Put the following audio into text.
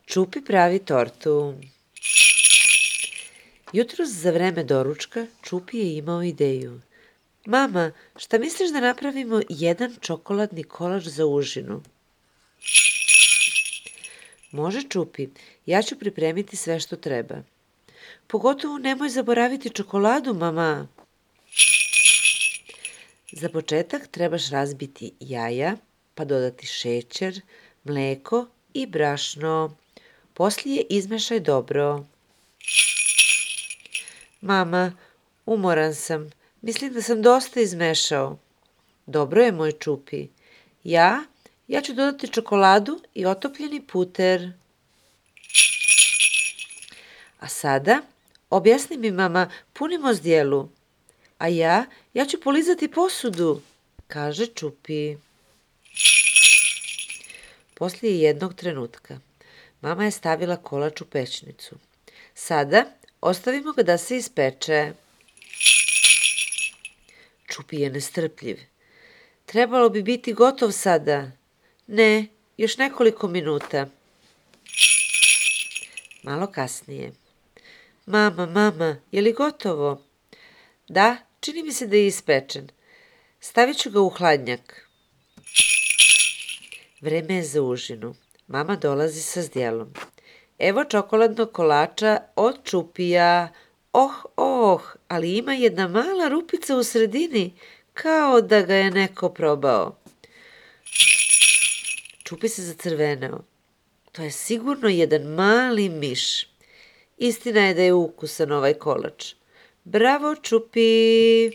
Čupi pravi tortu. Jutros za vreme doručka Čupi je imao ideju. Mama, šta misliš da napravimo jedan čokoladni kolač za užinu? Može, Čupi, ja ću pripremiti sve što treba. Pogotovo nemoj zaboraviti čokoladu, mama. Za početak trebaš razbiti jaja, pa dodati šećer, mleko i brašno. Poslije izmešaj dobro. Mama, umoran sam. Mislim da sam dosta izmešao. Dobro je, moj Čupi. Ja ću dodati čokoladu i otopljeni puter. A sada, objasni mi, mama, punimo zdjelu. A ja ću polizati posudu, kaže Čupi. Poslije jednog trenutka, mama je stavila kolač u pećnicu. Sada ostavimo ga da se ispeče. Čupi je nestrpljiv. Trebalo bi biti gotov sada. Ne, još nekoliko minuta. Malo kasnije. Mama, je li gotovo? Da, čini mi se da je ispečen. Stavit ću ga u hladnjak. Vreme je za užinu. Mama dolazi sa zdjelom. Evo čokoladnog kolača od Čupija. Ali ima jedna mala rupica u sredini, kao da ga je neko probao. Čupi se zacrveneo. To je sigurno jedan mali miš. Istina je da je ukusan ovaj kolač. Bravo, Čupi!